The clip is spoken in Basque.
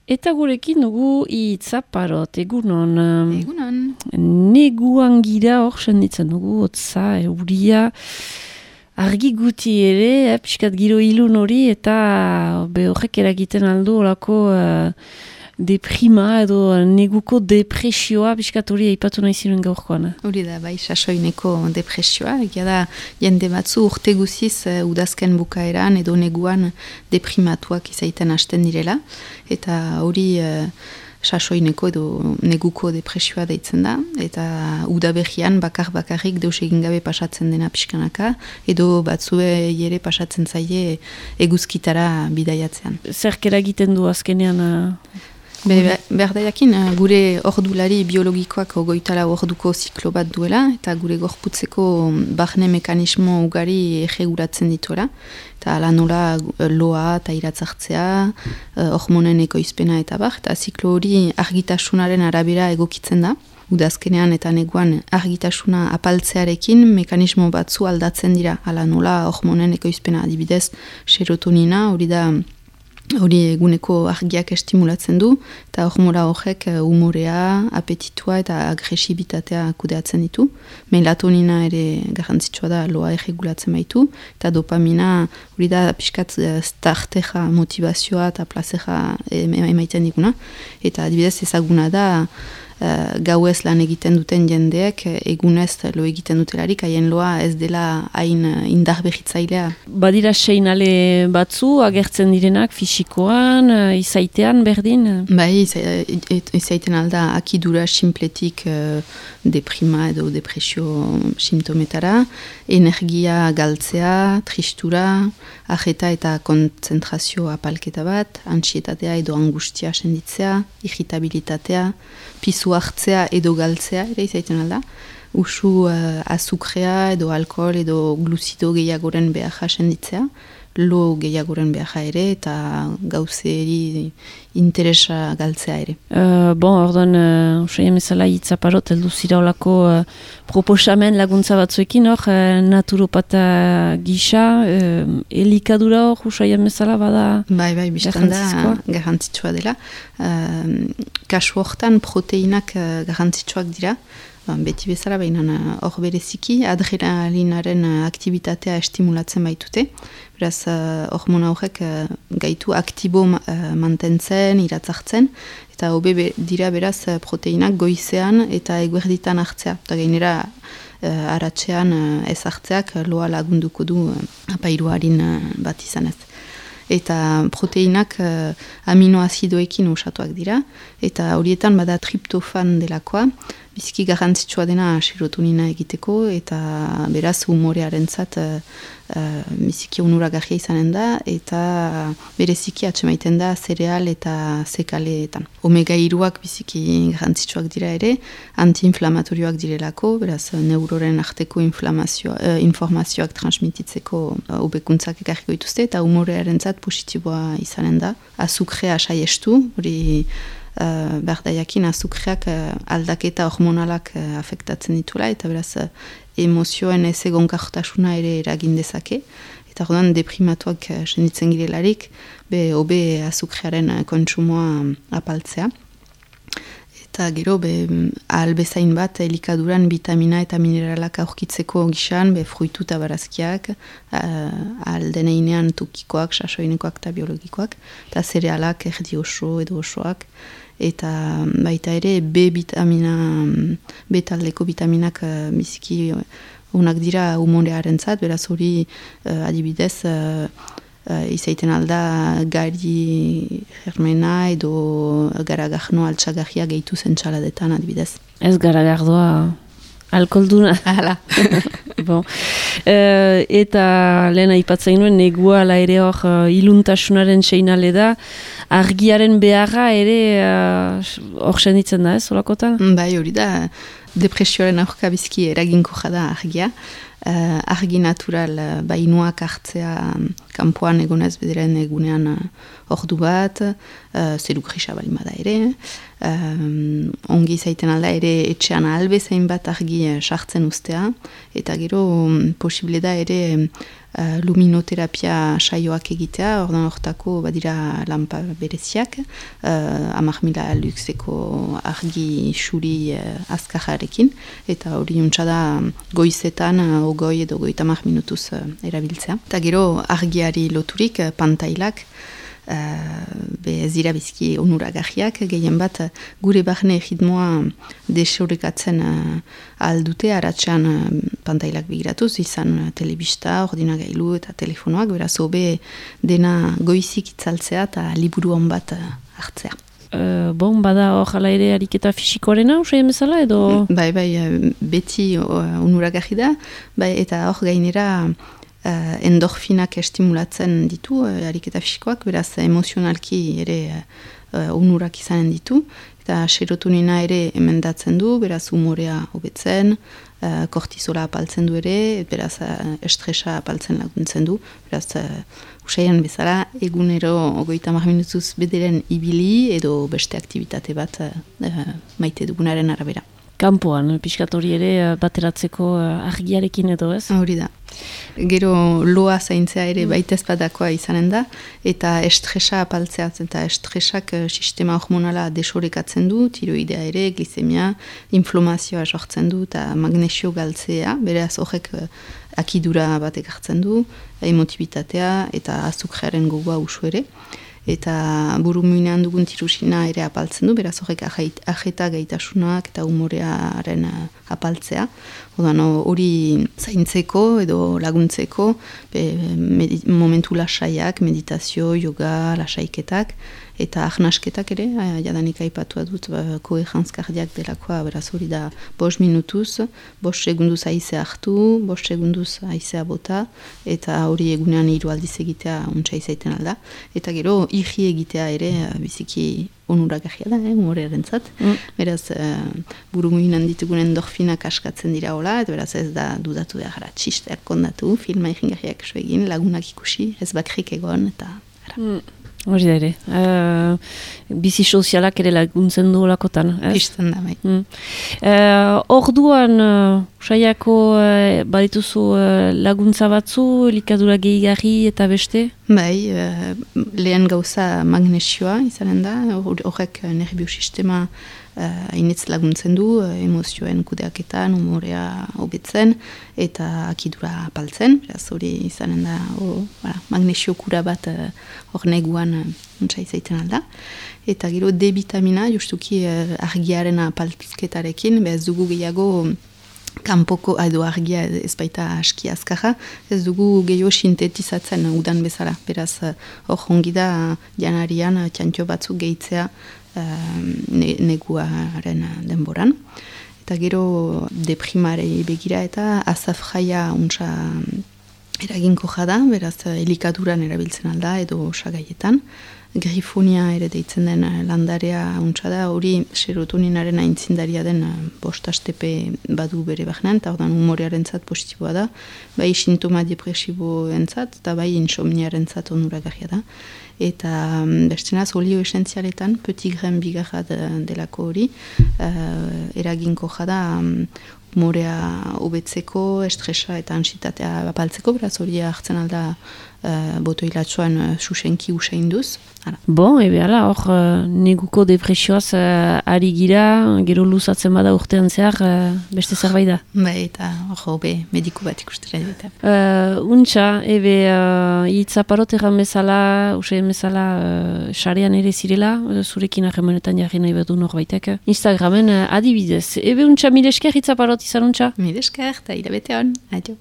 Eta gurekin dugu Itzaparot, egunon. Egunon. Neguan gira hor senditzen dugu, otza, euria, argi guti ere, pixkat giro ilun hori, eta horrek eragiten aldu olako deprima edo neguko depresioa, pixkat hori aipatu nahi ziren gaurkoan. Hori da, bai, sasoineko depresioa, egia da, jende batzu urte guziz udazken bukaeran edo neguan deprimatuak izaiten hasten direla, eta hori sasoineko edo neguko depresioa deitzen da, eta udaberrian bakarrik deus egin gabe pasatzen dena pixkanaka, edo batzue ere pasatzen zaie eguzkitara bidaiatzean. Zerk eragiten du azkenean? Berdaiakin, gure ordulari biologikoak 24 orduko ziklo bat duela, eta gure gorputzeko barne mekanismo ugari egeguratzen dituela, eta ala nola loa eta iratzartzea, hormonen ekoizpena eta bar, eta ziklo hori argitasunaren arabera egokitzen da. Udazkenean eta neguan argitasuna apaltzearekin mekanismo batzu aldatzen dira, ala nola hormonen ekoizpena, adibidez serotonina, hori eguneko argiak estimulatzen du, eta hormora horrek umorea, apetitua eta agresibitatea kudeatzen ditu. Melatonina ere garrantzitsua da loa erregulatzen baitu, eta dopamina hori da pixkat starteja, motivazioa eta plazera emaiten diguna. Eta adibidez ezaguna da, gauez lan egiten duten jendeek egunez lo egiten dutelarik, haien loa ez dela hain indar behitzailea. Badira seinale batzu agertzen direnak fisikoan, izaitean berdin? Bai, izaiten alda akidura simpletik deprima edo depresio simptometara, energia galtzea, tristura, ajeta eta kontzentrazio apalketa bat, antsietatea edo angustia senditzea, irritabilitatea, pisu hartzea edo galtzea ere izaiten alda. Usu azukrea edo alkohol edo gluzido gehiagoren beharra senditzea, lo gehiagoren beharra ere eta gauzeri interesa galtzea ere. Orduan, usaien bezala Itzaparot, heldu zira olako proposamen laguntza batzuekin hor, naturopata gisa, elikadura hor, usaien bezala bada Bai, biztan da, garrantzitsua dela. Kasu hortan proteinak garrantzitsuak dira, beti bezala baina hor bereziki, adrenalinaren aktibitatea estimulatzen baitute. Beraz, hormona horrek gaitu aktibo mantentzen, iratzartzen, eta hobe dira beraz proteinak goizean eta eguerditan hartzea. Eta gainera aratzean ez hartzeak loa lagunduko du apairuarin bat izanez. Eta proteinak aminoazidoekin osatuak dira, eta horietan bada triptofan delakoa, biziki garrantzitsua dena serotonina egiteko, eta beraz humorearentzat biziki onuragarria izanen da, eta bereziki atsemaiten da zereal eta zekaleetan. Omega-3ak biziki garrantzitsuak dira ere, antiinflamatorioak direlako, beraz neuroren arteko informazioak transmititzeko hobekuntzak ekarriko dituzte, eta humorearentzat positiboa izanen da. Azukrea saiestu, hori berdaiakin azukreak aldaketa hormonalak afektatzen ditula, eta beraz emozioen ez egonkartasuna ere eragin dezake, eta orduan deprimatuak senditzen girelarik, hobe azukrearen kontsumoa apaltzea. Eta gero, ahal bezain bat, elikaduran vitamina eta mineralak aurkitzeko gixan, fruitu eta barazkiak, ahal deneinean tokikoak, sasoinekoak eta biologikoak, eta zerealak erdi oso edo osoak, eta baita ere B taldeko vitaminak biziki onak dira humorearentzat, beraz hori adibidez izaiten alda gari germena edo garagarno altxagarria gehitu zentsaladetan adibidez. Ez garagardoa alkoholduna. Hala. Eta lehen aipatzen nuen negua ala ere hor iluntasunaren seinale da, argiaren beharra ere hor senditzen da, ez holakotan? Bai, hori da, depresioaren aurka bizki eraginko da argia. Argi natural bainuak hartzea kanpoan egonez bederen egunean ordu bat, zeru grisa balima da ere, ongi zaiten alda ere etxean albezain bat argi sartzen ustea, eta gero posible da ere luminoterapia saioak egitea, ordan hortako badira lampa bereziak, 10.000 luxeko argi xuri azkajarekin, eta hori da goizetan, ogoi edo 30 minutuz erabiltzea. Eta gero argiari loturik pantailak, ez dira bizki onuragarriak, gehien bat gure barne ritmoa desorekatzen aldute, aratxean pantailak begiratuz, izan telebista, ordinagailu eta telefonoak, beraz hobe dena goizik itzaltzea eta liburuan bat hartzea. Bada hor jala ere ariketa fisikoarena, usaien bezala, edo? Bai, beti onuragarri da, eta hor gainera endorfinak estimulatzen ditu, ariketa fisikoak, beraz emozionalki ere onurak izanen ditu, eta serotonina ere emendatzen du, beraz umorea hobetzen, kortizola apaltzen du ere, beraz estresa apaltzen laguntzen du, beraz usaian bezala egunero 30 minutuz bederen ibili edo beste aktivitate bat maite dugunaren arabera. Kampoan, pixkat hori ere bateratzeko argiarekin edo ez? Hori da. Gero loa zaintzea ere baita ezpadakoa izanen da, eta estresa apaltzea, eta estresak sistema hormonala desorekatzen du, tiroidea ere, glicemia, inflamazioa sortzen du, eta magnesio galtzea, beraz horrek akidura batek hartzen du, emotibitatea eta azukrearen gogoa usu ere. Eta burumuinean dugun tirusina ere apaltzen du, beraz horrek ajeta gaitasunak eta umorearen apaltzea. Hori zaintzeko edo laguntzeko momentu lasaiak, meditazio, yoga, lasaiketak, eta ahnasketak ere, jadanik aipatua dut koheranz kardiak delakoa, beraz hori da 5 minutuz, 5 segunduz haizea hartu, 5 segunduz haizea bota, eta hori egunean 3 aldiz egitea untsa izaiten alda. Eta gero, irri egitea ere biziki onuragarria da, umorearen zat. Beraz, burumuinan ditugun endorfinak askatzen dira hola, eta beraz ez da dudatu behar, txisteak kondatu, filma irringarriak esu egin, lagunak ikusi, ez bakrik egon, eta... Hori da ere. Bizi sozialak ere laguntzen du olakotan. Pisten da, bai. Orduan, saiako badituzu laguntza batzu, elikadura gehigarri eta beste? Bai, lehen gauza magnesioa izanen da, horrek nerviosistema hainitz laguntzen du, emozioen kudeaketan, umorea hobetzen, eta akidura apaltzen, beraz hori izanen da, magnesio kura bat hor neguan untsa izaiten alda. Eta gero D-vitamina, justuki argiaren apaltzketarekin, ez dugu gehiago kanpoko edo argia ez baita aski azkarra, ez dugu gehiago sintetizatzen udan bezala. Beraz, hor hongi da janarian txantxo batzuk gehitzea neguaren denboran. Eta gero deprimarei begira eta azafraia untsa eraginko jada, beraz elikaduran erabiltzen alda edo osagaietan. Grifonia ere deitzen den landarea untsa da, hori serotoninaren aintzindaria den 5 astepe badu bere bahnean, eta ordan umorearen zat positiboa da, bai sintoma depresiboen zat, eta bai insomniaren zat onuragarria da. Eta bestenaz olio esentzialetan, petit grain bigarra delako hori, eraginko jada umorea hobetzeko, estresa eta ansitatea apaltzeko, beraz hori hartzen alda botoilatxoan susenki usainduz. Bon, ala, hor neguko depresioaz ari gira, gero luzatzen bada urtean zehar, beste zerbait da. Bai, eta hor mediku bat ikustera dut. Untxa, hitzaparot erran bezala, usain bezala, sarean ere zirela, zurekin harremanetan jarri nahi badu norbaitek. Instagramen adibidez. Untxa, mire esker hitzaparot izan untxa? Mire esker, eta irabete hon, adio.